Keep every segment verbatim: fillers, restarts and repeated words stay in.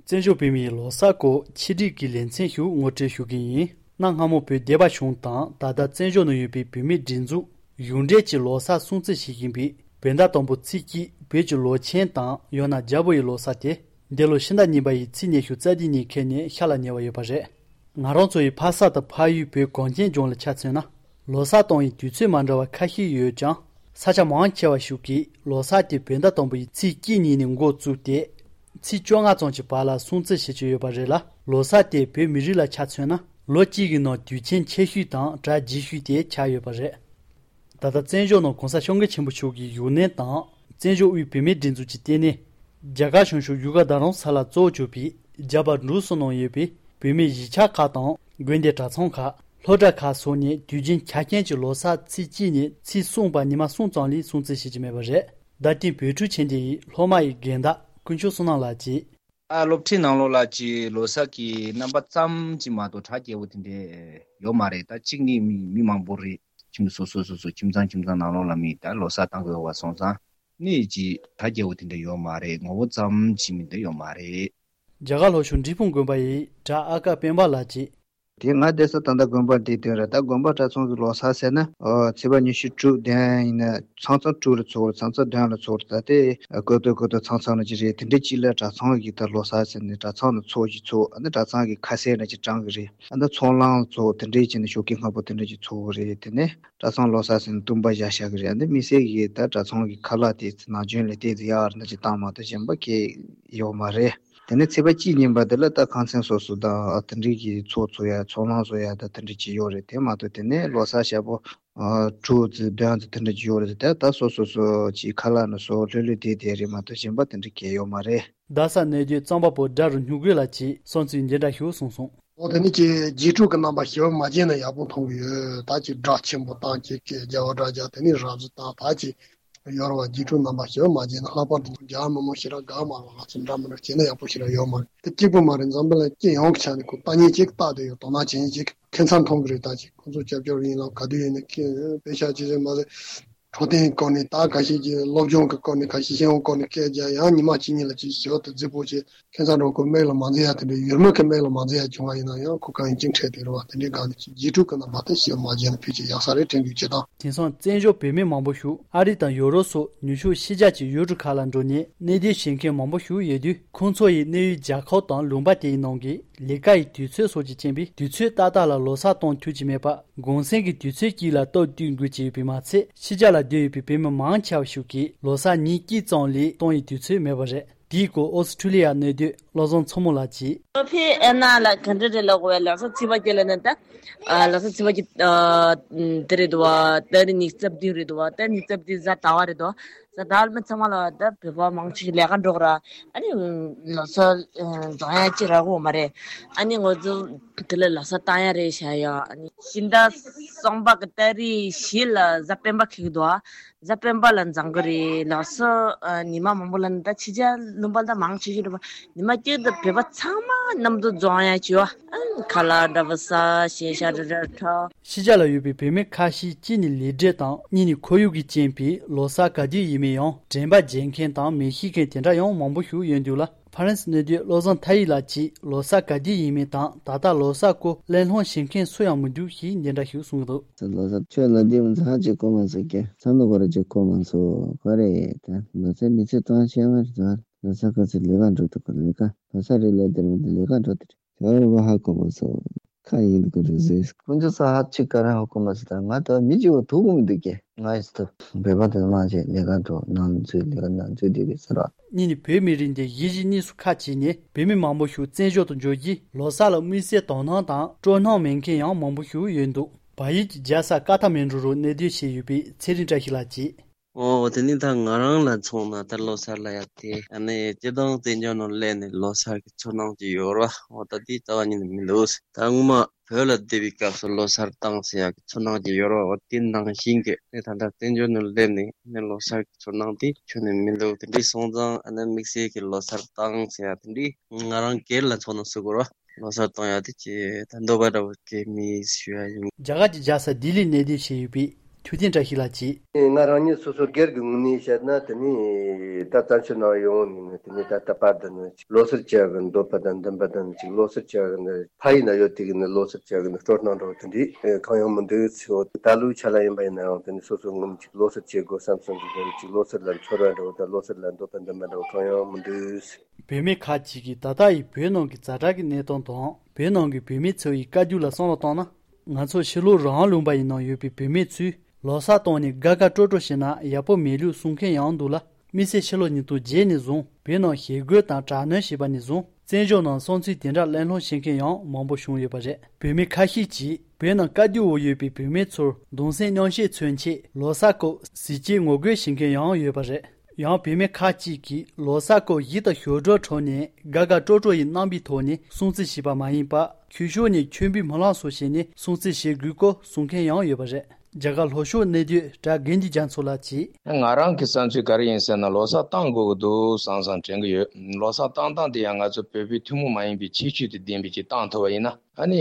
བཙན་བྱོལ་བོད་མིའི་ལོ་གསར་སྐོར་ཆེད་སྒྲིག་གི་ལེ་ཚན་ཞིག་ངོ་སྤྲོད་ཞུ་གི་ཡིན། གནའ་སྔ་མོ་བོད་སྡེ་པ་གཞུང་དང་ད་ལྟ་བཙན་བྱོལ་ནང་ཡོད་པའི་བོད་མིའི་སྒྲིག་འཛུགས་གཞུང་འབྲེལ་གྱི་ལོ་གསར་སྲུང་བརྩི་བྱེད་བཞིན་པའི་བོད་ཟླ་དང་པོ་ཚེས་གཅིག་བོད་ཀྱི་ལོ་ཆེན་དང་ཡང་ན་རྒྱལ་པོ་ཡི་ལོ་གསར་དེ། འདི་ལོ་ཕྱི་ཟླ་གཉིས་པ་ཡི་ཚེས་ཉི་ཤུ་རྩ་བདུན་ཉིན་འཁེལ་ནས་ཤར་ལ་ཉེ་བ་ཡོད་པ་རེད། ང་རང་ཚོ་ཡི་ཕ་ས་དང་ཕ་ཡུལ་བོད་གངས་ཅན་ལྗོངས་ལ་ཆ་མཚོན་ན། ལོ་གསར་གཏོང་བའི་དུས་ཚོད་མ་འདྲ་བ་ཁ་ཤས་ཡོད་ཀྱང་། ས་ཆ་མང་ཆེ་བ་ཞིག་གིས་ལོ་གསར་དེ་བོད་ཟླ་དང་པོ་ཡི་ཚེས་གཅིག་ཉིན་ནས་འགོ་བཙུགས་ཏེ། ཚེས་བཅོ་ལྔ་ཙམ་གྱི་བར་ལ་སྲུང་བརྩི་བྱེད་ཀྱི་ཡོད་པ་རེད་ལ། ལོ་གསར་དེ་བོད་མི་རིགས་ལ་ཆ་མཚོན་ན། ལོ་གཅིག་གི་ནང་དུས་ཆེན་ཆེ་ཤོས་དང་གྲ་རྒྱས་ཤོས་དེ་ཆགས་ཡོད་པ་རེད། ད་ལྟ་བཙན་བྱོལ་ནང་གོང་ས་སྐྱབས་མགོན་ཆེན་པོ་མཆོག་གི་བཞུགས་གནས་དང་། བཙན་བྱོལ་དབུས་བོད་མིའི་སྒྲིག་འཛུགས་ཀྱི་ལྟེ་གནས། རྒྱ་གར་བྱང་ཕྱོགས་བཞུགས་སྒར་རྡ་རམ་ས་ལ་གཙོ་བོ་གྱུར་པའི་རྒྱ་བལ་འབྲུག་གསུམ་ནང་ཡོད་པའི་བོད་མིའི་གཞིས་ཆགས་ཁག་དང་། དགོན་སྡེ་གྲྭ་ཚང་ཁག་སློབ་གྲྭ་ཁག་སོགས་ནས་དུས་རྒྱུན་ཆ་རྐྱེན་གྱིས་ལོ་གསར་ཚེས་གཅིག་ནས་ཚེས་གསུམ་བར་ཉི་མ་གསུམ་ཙམ་ལས་སྲུང་བརྩི་བྱེད་ཀྱི་མེད་པ་རེད། རྡ་སྟེང་བོད་ཕྲུག་ཆེན་སྡེ་ཡི་སློབ་མ་ཡི་རྒན་བདག་དཀོན་མཆོག་བསོད་ནམས་ལགས་ཀྱིས། ཨ། སློབ་ཁྲིད་ནང་ལོགས་ལ་ཅིག་ལོ་གསར་གྱི་རྣམ་པ་ཙམ་ཅིག་མ་གཏོགས་གྲ་རྒྱས་པོ་དེ་འདྲས་ཡོད་མ་རེད། ད་གཅིག་ནི་མི་མི་མང་པོ་རེད། ཁྱིམ་སོ་སོ་སོ་སོ་ཁྱིམ་ཚང་ཁྱིམ་ཚང་ནང་ལོགས་ལ་མི་ད་ལོ་གསར་བཏང་དགོས་པ་སོང་ཙང་ནི་ཅིག་གྲ་རྒྱས་པོ་དེ་འདྲས་ཡོད་མ་རེད། ངོ་བོ་ཙམ་ཅིག་མིན་འདྲ་ཡོད་མ་རེད། རྒྱ་གར་ལྷོ་ཕྱོགས་འབྲས་སྤུངས་དགོན་པ་ཡི་གྲྭ་ཨ་ཀ་སྤེན་པ་ལགས་ཀྱིས། དེ་ང་བསྡད་ས་ད་ལྟ་དགོན་པ་འདིའི་སྟེང་རེད། ད་དགོན་པ་གྲྭ་ཚང་གི་ལོ་གསར་ཟེར་ན། ཨོ། ཚེས་པ་ཉི་ཤུ་དྲུག་བདུན་ཡིན་ན་ཚང་ཚང་དྲུག་ལ་ཚོགས་རེད། ཚང་ཚང་བདུན་ལ་ཚོགས་རེད། ད་དེ་ཀོ་ཏོ་ཀོ་ཏོ་ཚང་ཚང་ལ་ཅི་རེད། དེ་འདྲའི་གཅིག་ལ་གྲྭ་ཚང་གི་ད་ལོ་གསར་ཟེར་ནས་གྲྭ་ཚང་ལ་ཚོགས་ཅིག་ཚོགས། ཨ་ནི་གྲྭ་ཚང་གི་ཁ་ཟས་འདྲ་ཅིག་དྲང་གི་རེད། ཨ་ནི་ཚོགས་ལངས་ཚོགས་དེ་འདྲའི་ཅིག་ནས་ཞོགས་ཀས་སྔ་པོ་དེ་འདྲ་ཅིག་ཚོགས་གི་རེད། དེ་ནས་གྲྭ་ཚང་ལོ་གསར་ཟེར་ནས་བཏུམ་པ་བཞག་བཞག་གི་རེད། ཨ་ནི་དམིགས་བསལ་གྱི་ད་གྲྭ་ཚང་གི་ཁ་ལག་དེ་ནང་རྒྱུན་ལས་དེ་ཡག་རེད་ན་ཅིག་བཏང་མ་གཏོགས་གཞན་པ་གས་ཡོད་མ་རེད། དེ་ནས་ཚེས་པ་གཅིག་ཉིན་པ་དེ་ལ་ད་ཁང་ཚན་སོ་སོ་དང་དེ་འདྲའི་གི་ཚོགས་ཚོགས་ཡ་ཚོགས་ལངས་བཟོ་ཡ་ད་དེ་འདྲ་ཅིག་ཡོད་རེད། དེ་མ་གཏོགས་དེ་ནས་ལོ་གསར་ཞག་པོ་ཨ་དྲུག་ཙམ་བདུན་ཙམ་དེ་འདྲ་ཅིག་ཡོད་རེད། དེ་ད་སོ་སོ་སོ་ཅིག་ཁ་ལག་ནང་བཟོ་ལྷོད་ལྷོད་བསྡད་བསྡད་རེད་མ་གཏོགས་གཞན་པ་དེ་འདྲ་གས་ཡོད་མ་རེད། རྡ་ས་གནས་སྡོད་གཙང་པ་པོ་དགྲ་རུ་སྨྱུ་གུ་ལགས་ཀྱིས་བསམ་ཚུལ་འདི་འདྲ་ཞིག་གསུངས་སོང་། འོ་དེ་ནི་ཀྱི་རྗེས་དྲུག་གི་རྣམ་པ་ཞེ་པོ་མ་བརྗེད་ན་ཡག་པོ་མཐོང་གི་ཡོད། ད་ཀྱི་སྒྲ་ཆེན་པོ་བཏང་ཀྱི་ཀྱི་རྒྱ་བ་སྒྲ་རྒྱ་དེ་ནི་རབ་གཟུ་བཏང་ད་ཀྱི་ཡོར་བ་རྗེས་དྲུག་རྣམ་པ་ཞེ་པོ་མ་བརྗེད་ན། ལྷག་པར་དུ་རྒྱ་མི་མང་ཞེ་དྲག་དགའ་མ་རེད། ང་ཚོ་འདྲ་མི་འདྲ་བྱས་ན་ཡག་པོ་ཞེ་དྲག་ཡོད་མ་རེད། དེ་གཅིག་པུ་མ་རེད། འཛམ་བུ་གླིང་སྤྱི་ཡོངས་ཀྱི་ཆ་ནས་ཁོ་ལྟ་ཉན་ཅིག་ལྟ་བསྡད་ཡོད། དོ་སྣང་བྱེད་ཉན་ཅིག་ཁྱད་མཚར་མཐོང་གི་རེད། ད་ཅིག་ཁོང་ཚོ་སྐྱབས་བཅོལ་ཡིན་ལ་ག་དུས་ཡིན་ན་ཀྱི་དཔེ་ཆ་ཅི་ཟེར་མ་ཟེར། འཕྲོད་བསྟེན་སྐོར་ནས་ད་ཁ་ཤས་ཀྱིས་སློབ་སྦྱོང་གི་སྐོར་ནས་ཁ་ཤས་ཤེས་ཡོན་སྐོར་ནས་སྐད་རྒྱག་ཡང་ཉི་མ་གཅིག་གཉིས་ལ་ཅིག་ཞོར་དུ་རྫིག་པོ་བྱས་ཁྱད་མཚར་འགྲོ་ཁོ་མིག་ལ་མ་མཛེས་ཡ་དེ་འདྲའི་ཡུལ་མི་གི་མིག་ལ་མ་མཛེས་ཡ་བྱུང་བ་ཡིན་ན་ཡང་ཁོ་གང་ཡིན་ཅིག་འཕྲད་དེ་རེད་བ། དེ་འདྲའི་སྒང་ནས་ཅིག་རྗེས་དྲུག་གི་རྣམ་པ་དེ་ཞེ་མ་བརྗེད་ན་ཕལ་ཆེར་ཡག་ས་རེད་དྲན་གྱི་བྱེད་སྟངས། དེང་སང་བཙན་བྱོལ་བོད་མི་མང་པོ་ཞིག་ཨ་རི་དང་ཡོ་རོབ་སོགས་ནུབ་ཕྱོགས་ཕྱི་རྒྱལ་གྱི་ཡུལ་གྲུ་ཁག་ལ་འགྲོ་ནས་གནས་སྡོད་བྱེད་མཁན་མང་པོ་ཞིག་ཡོད་དུས། ཁོང་ཚོ་ཡི་གནས་ཡུལ་རྒྱལ་ཁབ་དང་ལུང་པ་དེ་ཡི་ནང་གི་ལས་ཀ་ཡི་དུས་ཚོད་སོགས་ཀྱི་རྐྱེན་པས་དུས་ཚོད་ཏག་ཏག་ལ་ལོ་གསར་གཏོང་ཐུབ་ཀྱི་མེད་པ། གུང་སེང་གི་དུས་ཚོད་ཀྱིས་ལ་སྟབས་བསྟུན་དགོས་ཀྱི་ཡོད་པས་མ་ཚད། ཕྱི་རྒྱལ་ལ་སྡོད་ཡོད་པའི་བོད་མི་མང་ཆེ་བ་ཞིག་གིས་ལོ་གསར་ཉིན་གཅིག་ཙམ་ལས་གཏོང་ཡི་དུས་ཚོད་མེད་པ་རེད། དེའི་སྐོར་ཨོ་སི་ཁྲུ་ལི་ཡ་གནས་སྡོད་བློ་བཟང་མཚོ་མོ་ལགས་ཀྱིས། ཨོ་ཕི་ཨེ་ན་ལ་ག་འདྲ་རེད་ལ་གོ་བའི་ལོ་གསར་ཚེས་པ་བརྒྱད་ལ་ནི་ད། ཨ་ལོ་གསར་ཚེས་པ་བརྒྱད་ཨ་དེ་རེད་དོ། ད་རེས་ཉི་ཤུ་རྩ་བདུན་རེད་དོ། ད་ཉི་ཤུ་རྩ་བདུན་གཟའ་ཟླ་བ་རེད་དོ། གཟའ་ཟླ་བ་མི་ཚང་མ་ལ་ད་བོད་པ་མང་ཆེ་ལས་ཀ་འགྲོ་གི་ར། ཨ་ནི་ལོ་གསར་ཨ་འདོན་ཡ་ཅི་རག་གོ་མ་རེད། ཨ་ནི་ང་ཚོ་དེ་ལ་ལོ་གསར་བཏང་ཡ་རེད་བྱ་ཡ། ཨ་ནི་ཕྱི་ཟླ་གསུམ་པ་གི་ཏ་རིག་བཞི་ལ་གཟའ་སྤེན་པ་འཁེལ་གི་འདུག་ཨ། གཟའ་སྤེན་པ་ལ་འཛོམས་གི་རེད། ལོ་གསར་ཨ་ཉི་མ་མང་པོ་ལ་ནི་ད་ཕྱི་རྒྱལ་ལུང་པ་ད་མང་ཆེ་ཤོས་རེད་པ། ཉི་མ་གཅིག་ཏུ་བོད་པ་ཚང་མ་མཉམ་དུ་འཛོམས་ཡ་བྱོས་ཨ། ཁ་ལག་འདྲ་པོ་ཟ། ཞེ་ཤ་འདྲ་འདྲ་འཁྲབ། ཕྱི་རྒྱལ་ལ་ཡོད་པའི་བོད་མི་ཁ་ཤས་གཅིག་ནི་ལས་འབྲེལ་དང་གཉིས་ནི་ཁོར་ཡུག་གི་རྐྱེན་པས་ལོ་གསར་ག་དུས་ཡིན་མིན་ཡང་དྲན་པ་བརྗེད་མཁན་དང་མི་ཤེས་མཁན་དེ་འདྲ་ཡང་མང་པོ་ཞིག་ཡོད་འདུག་ལ། ཧྥ་རན་སི་གནས་སྡོད་བློ་བཟང་མཐའ་ཡས་ལགས་ཀྱིས་ལོ་གསར་ག་དུས་ཡིན་མིན་དང་ད་ལྟ་ལོ་གསར་སྐོར་གླེང་སློང་བྱེད་མཁན་སུ་ཡང་མི་འདུག་ཞེས་འདི་འདྲ་ཞིག་གསུངས་འདུག། ལོ་གསར་ཆོས་ལ་འདི་མི་ཚང་ཅིག་གོ་མ་སོང་ཀྱང་བསམ་བློ་གོ་ར་ཅིག་གོ་མ་སོང་གོ་རེད། ད་ལོ་གསར་མི་ཚེ་གཏོང་ཤེས་མ་རེད། ད་ལོ་གསར་ག་ཚོད་ལས་ཀ་འགྲོ་ཐུབ་གོ་ལས་ཀ། ལོ་གསར་རེད་ལས་དེར་མི་འདུག་ལས་ཀ་འགྲོ་དེ་རེད། ཞོར་བ་ཧ་གོ་མ་སོང་། ཁ་ཡིན་དུ་རེ་ཟེར། ཁོང་ཚོ་ས་ཧ་ཅིག་ག་ར་ཧ་གོ་མ་སོང་། ད་ང་ད་མི་གཅིག་བ་ཐུག་གོ་མི་འདུག་ཀྱེ། ང་ཡིས་ཐུབ་བོད་པ་དེ་མང་ཆེ་ལས་ཀ་འགྲོ་ནང་ཚུད་ལས་ཀ་ནང་ཚུད་བསྡད་པའི་ས་ར། གཉིས་ནི་བོད་མི་རིགས་འདི་གཞིས་བྱེས་གཉིས་སུ་ཁ་ཕྱེ་ནས་བོད་མི་མང་པོ་ཞིག་བཙན་བྱོལ་དུ་འབྱོར་རྗེས་ལོ་གསར་ལ་དམིགས་བསལ་དོ་སྣང་དང་སྤྲོ་སྣང་མེད་མཁན་ཡང་མང་པོ་ཞིག་ཡོད་འདུག། བལ་ཡུལ་གྱི་རྒྱལ་ས་ཀ་ཐ་མན་གྲུ་རུ་གནས་སྡོད་བྱས་ཡོད་པའི་ཚེ་རིང་བཀྲ་ཤིས་ལགས་ཀྱིས། ཨོ་དེ་ནི་ད་ང་རང་ལ་མཚོན་ན་ད་ལོ་གསར་ལ་ཡ་དེ་ཨ་ནི་སྤྱིར་བཏང་བཙན་བྱོལ་ནང་སླེབས་ནས་ལོ་གསར་གྱི་ཚོར་སྣང་ཅིག་ཡོད་ར། ཨོ་ད་དེ་རྩ་བ་ཉིད་ནས་མི་འདུག། ད་སྔོན་མ་བོད་ལ་བསྡད་པའི་སྐབས་སུ་ལོ་གསར་བཏང་ཟེར་ཡག་གི་ཚོར་སྣང་ཅིག་ཡོད་ར། ཨོ་དེ་ནང་བཞིན་གྱི་ཨ་ནི་ད་ལྟ་བཙན་བྱོལ་ནང་སླེབས་ནས་ཨ་ནི་ལོ་གསར་གྱི་ཚོར་སྣང་དེ་ཁྱོན་ནས་མི་འདུག། དེ་འདྲའི་སོང་ཙང་ཨ་ནི་དམིགས་བསལ་གྱི་ལོ་གསར་བཏང་ཟེར་ཡག་དེ་འདྲའི་ང་རང་སྒེར་ལ་མཚོན་ན་ཟེར་དགོས་ར། ལོ་གསར་གཏོང་ཡག་དེ་ཅི་ད་འདོད་པ་འདྲ་བོ་སྐྱེ་མི་ཞུ་ཡ་ཡིན། རྒྱ་གར་གྱི་རྒྱལ་ས་ལྡི་ལིར་གནས་སྡོད་བྱས་ཡོད་པའི་ ཐུབ་བསྟན་བཀྲ་ཤིས་ལགས་ཀྱིས། ང་རང་ཉིད་སོ་སོ་སྒེར་གྱི་ངོས་ནས་བཤད་ན། དེ་ནི་ད་བཙན་བྱོལ་ནང་ཡོང་ནས་ནི། དེ་ནི་ད་ལྟ་བར་དུ་ནི་ཅིག་ལོ་སར་བྱེད་ཡག་གི་འདོད་པ་དང་འདུན་པ་དང་། ཅིག་ལོ་སར་བྱེད་ཡག་གི་ནི་ཕ་ཡུལ་ན་ཡོད་དུས་ཀྱི་ནི་ལོ་སར་བྱེད་ཡག་གི་ནི་སྤྲོ་སྣང་འདྲ་བོ་དེ་འདྲ་གང་ཡང་མི་འདུག་ཟེར། འོ་ད་ལོའི་ཆ་ལ་ཡིན་པ་ཡིན་ན་ཡང་། དེ་ནི་སོ་སོ་ངོས་ནས་ཅིག་ལོ་སར་བྱེད་དགོས་བསམ་བསམ་གྱི། དེ་ནི་ཅིག་ལོ་སར་ལ་ཚོར་བ་འདྲ་བོ་དང་། ལོ་སར་ལ་འདོད་པ་འདུན་པ་འདྲ་བོ་གང་ཡང་མི་འདུག། བུད་མེད་ཁག་ཅིག་གིས་ད་ལྟ་ཡི་བོད་ནང་གི་ཛ་དྲག་གི་གནས་སྟངས་དང་། བོད་ནང་གི་བུད་མེད་ཚོ་ཡི་བཀའ་བཀྱོན་ལ་བསམ་བློ་བཏང་ན། ང་ཚོ་ཕྱི་ལོགས་རང་དབང་ལུང་པ་ཡི་ནང་ཡོད་པའི་བུད་མེད་ཚོས་ལོ་གསར་བཏང་ནས་དགའ་དགའ་སྤྲོ་སྤྲོ་བྱས་ན་ཡག་པོ་མེད་ལུགས་གསུང་མཁན་ཡང་འདུག་ལ། དམིགས་བསལ་ཕྱི་ལོ་ཉིས་སྟོང་བརྒྱད་ནས་བཟུང་བོད་ནང་ཞི་རྒོལ་དང་དྲག་གནོན་བྱས་པ་ནས་བཟུང་བཙན་བྱོལ་ནང་སྲུང་བརྩི་དེ་འདྲ་གླེང་སློང་བྱེད་མཁན་ཡང་མང་པོ་བྱུང་ཡོད་པ་རེད། བུད་མེད་ཁ་ཤས་ཀྱིས་བོད་ནང་བཀའ་བཀྱོན་འོག་ཡོད་པའི་བུད་མེད་ཚོར་གདུང་སེམས་མཉམ་བསྐྱེད་མཚོན་ཆེད་ལོ་གསར་སྐབས་ཟས་བཅད་ངོ་རྒོལ་བྱེད་མཁན་ཡང་ཡོད་པ་རེད། ཡང་བུད་མེད་ཁག་ཅིག་གིས་ལོ་གསར་སྐབས་གཞས་དང་ཞབས་བྲོ་འཁྲབ་ནས་དགའ་དགའ་སྤྲོ་སྤྲོ་ཡི་རྣམ་པའི་ཐོག་ནས་སྲུང་བརྩི་བྱས་པ་མ་ཡིན་པར། ཆོས་ཕྱོགས་ནས་མཆོད་འབུལ་སྨོན་ལམ་སོགས་བྱས་ནས་སྲུང་བརྩི་བྱེད་དགོས་སྐོར་གསུང་མཁན་ཡང་ཡོད་པ་རེད། རྒྱ་གར་ལྷོ་ཕྱོགས་གནས་སྡོད་གྲྭ་དགེ་འདུན་རྒྱ་མཚོ་ལགས་ཀྱིས། ང་རང་གི་བསམ་ཚུལ་ག་རེ་ཡིན་ཟེར་ན། ལོ་གསར་བཏང་དགོས་ཀྱི་འདུག་བསམ་བསམ་དྲན་གྱི་ཡོད། ལོ་གསར་བཏང་སྟངས་དེ་ཡང་ང་ཚོ་བོད་པའི་ཐུན་མོང་མ་ཡིན་པའི་ཁྱད་ཆོས་དང་ལྡན་པའི་ཅིག་བཏང་ཐུབ་པ་ཡིན་ན། ཨ་ནི་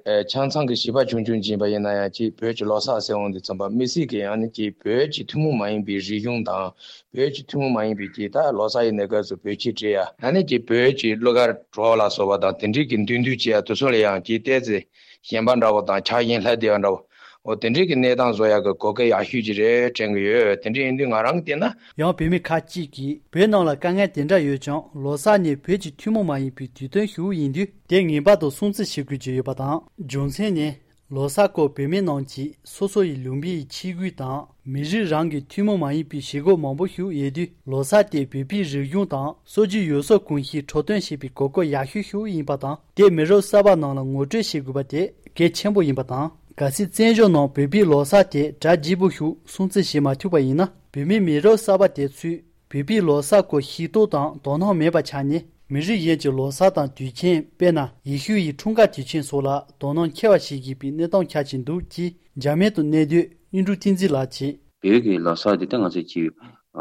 ཨེ་ཆང་ཚང་གི་བྱིས་པ་ཆུང་ཆུང་ཅིག་ཡིན་པ་ཡིན་ན་ཡང་། ཅིག་བོད་ཀྱི་ལོ་གསར་ཟེར་འོང་དུས་ཙམ་པ། མི་སེར་གྱི་ཡང་ནི་ཅིག་བོད་ཀྱི་ཐུན་མོང་མ་ཡིན་པའི་རིག་གཞུང་དང་། བོད་ཀྱི་ཐུན་མོང་མ་ཡིན་པའི་ཅིག་ད་ལོ་གསར་ཡིན་ནའི་སྐབས་སུ་བོད་ཆས་སྤྲས་ཡ། ཨ་ནི་ཅིག་བོད་ཀྱི་གླུ་གར་བྲོ་ལ་སོགས་པ་དང་། དེ་འདྲའི་གི་འདོན་འདུན་བྱེད་ཡ་དེ་ཚོ་ལ་ཡང་ཅིག་ཏོག་ཙམ་ཞེན་པ་འདྲ་བོ་དང་། ཆགས་ཞེན་ལྷག་བསྡད་པ་འདྲ་བོ། འོ་དེ་འདྲའི་གི་གནས་སྟངས་བཟོ་ཡག་གི་གོ་སྐབས་ཡག་ཤོས་ཅིག་རེད་དྲན་གྱི་ཡོད། དེ་འདྲ་ཡིན་དུས་ང་རང་གིས་བལྟས་ན། ཡང་བུད་མེད་ཁག་ཅིག་གིས་བོད་ནང་ལ་དཀའ་ངལ་དེ་འདྲ་ཡོད་ཀྱང་། ལོ་གསར་ནི་བོད་ཀྱི་ཐུན་མོང་མ་ཡིན་པའི་དུས་སྟོན་ཞིག་ཡིན་དུས། དེ་ངེས་པར་དུ་སྲུང་བརྩི་བྱེད་དགོས་ཀྱི་ཡོད་པ་དང་། རྒྱུ་མཚན་ནི། ལོ་གསར་སྐབས་བོད་མི་རྣམས་ཀྱིས་སོ་སོ་ཡི་ལུང་པའི་ཆས་གོས་དང་། མི་རིགས་རང་གི་ཐུན་མོང་མ་ཡིན་པའི་བྱེད་སྒོ་མང་པོ་ཞིག་ཡོད་དུས། ལོ་གསར་དེ་བོད་པའི་རིག་གཞུང་དང་སྲོལ་རྒྱུན་ཡུལ་སྲོལ་གོམས་གཤིས་འཁྲབ་སྟོན་བྱེད་པའི་གོ་སྐབས་ཡག་ཤོས་ཤིག་ཡིན་པ་དང་། དེ་མི་རབས་གསར་པ་རྣམས་ལ་ངོ་སྤྲོད་བྱེད་དགོས་པ་དེ་གལ་ཆེན་པོ་ཡིན་པ་དང་། གལ་སྲིད་བཙན་བྱོལ་ནང་བོད་པའི་ལོ་གསར་དེ་གྲ་རྒྱས་པོ་ཞིག་སྲུང་བརྩི་བྱེད་མ་ཐུབ་པ་ཡིན་ན། བོད་མི་མི་རབས་གསར་པ་དེ་ཚོས་བོད་པའི་ལོ་གསར་སྐོར་ཤེས་རྟོགས་དང་དོ་སྣང་མེད་པ་ཆགས་ནས། མི་རིགས་གཞན་གྱི་ལོ་གསར་དང་དུས་ཆེན། དཔེར་ན། ཡེ་ཤུ་ཡི་འཁྲུངས་སྐར་དུས་ཆེན་སོགས་ལ་དོ་སྣང་ཆེ་བ་བྱེད་བཞིན་པའི་གནས་སྟངས་ཆགས་ཀྱི་འདུག་ཅེས་འཇར་མན་དུ་གནས་སྡོད་གཡུང་དྲུང་བསྟན་འཛིན་ལགས་ཀྱིས། བོད་ཀྱི་ལོ་གསར་འདི་ད་ང་ཚོ་ཀྱི་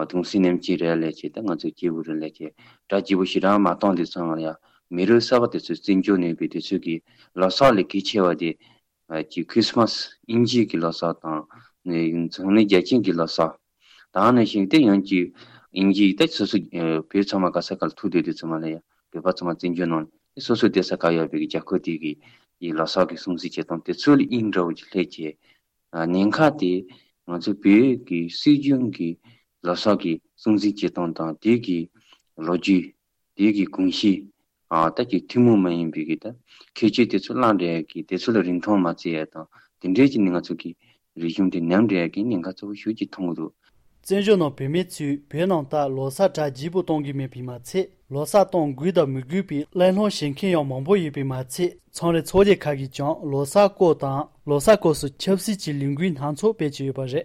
གདུང་སེམས་མཉམ་སྐྱེད་རེད་ལབ་བྱས། ད་ང་ཚོ་སྐྱེས་བུ་རེད་ལབ་བྱས་གྲ་རྒྱས་པོ་ཞེ་དྲག་མ་བཏང་དུས་ཙམ་ལ་ཡང་། མི་རབས་གསར་པ་དེ་ཚོས་བཙན་བྱོལ་ནས་ཡོད་པའི་དེ་ཚོས་ཀྱི་ལོ་གསར་ལས་གལ་ཆེ་བ་དེ། ཨ་ཀྱི་ཁྲིས་མས། དབྱིན་ཇིའི་གི་ལོ་གསར་དང་། ནི་འཛམ་གླིང་རྒྱལ་སྤྱིའི་གི་ལོ་གསར། ད་ནང་བཞིན་དེ་ཡང་ཀྱི་དབྱིན་ཇི་ད་སོ་སོ་ཨ་བོད་ཚང་མ་ག་ས་ག་ལ་ཐུག་བསྡད་དུས་ཙམ་ལ་ཡང་། བོད་པ་ཚང་མ་བཙན་བྱོལ་ནང་ནས་སོ་སོ་བསྡད་ས་ག་ཡོད་པའི་གི་རྒྱལ་ཁབ་དེ་གི་ཡི་ལོ་གསར་གི་སྲུང་བརྩི་བྱེད་སྟངས་དེ་ཚོ་ལ་དབྱིངས་འདྲ་བོ་ཅིག་སླེབས་བྱས། ཨ་ཉེན་ཁ་དེ་ང་ཚོ་བོད་ཀྱི་སྲོལ་རྒྱུན་གྱི་ལོ་གསར་གྱི་སྲུང་བརྩི་བྱེད་སྟངས་དང་། དེ་གི་ལོ་རྒྱུས། དེ་གི་གོམས་གཤིས། ཨ་ད་ཀྱི་ཐུན་མོང་མ་ཡིན་པའི་གི་ད་ཁྱད་ཆོས་དེ་ཚོ་བླངས་བསྡད་ཡ་གི། དེ་ཚོ་ལ་རིན་ཐང་མ་བརྩི་ཡ་དང་། དེ་འདྲའི་ཅིག་ནི་ང་ཚོ་གི་རིག་གཞུང་དེ་ཉམས་བསྡད་ཡ་གི་ཉེན་ཁ་གཙོ་བོ་ཞིག་ཅིག་མཐོང་གི་འདུག། བཙན་བྱོལ་ནང་བོད་མི་ཚོས་བོད་ནང་ལྟར་ལོ་གསར་གྲ་རྒྱས་པོ་གཏོང་གི་མེད་པས་མ་ཚད། ལོ་གསར་གཏོང་དགོས་དང་མི་དགོས་པའི་གླེང་སློང་བྱེད་མཁན་ཡང་མང་པོ་ཡོད་པས་མ་ཚད། མཚམས་རེ་ཚོགས་སྡེ་ཁག་གིས་ཀྱང་ལོ་གསར་སྐོར་དང་། ལོ་གསར་སྐབས་སུ་ཆབ་སྲིད་ཀྱི་ལས་འགུལ་སྣ་ཚོགས་སྤེལ་གྱི་ཡོད་པ་རེད།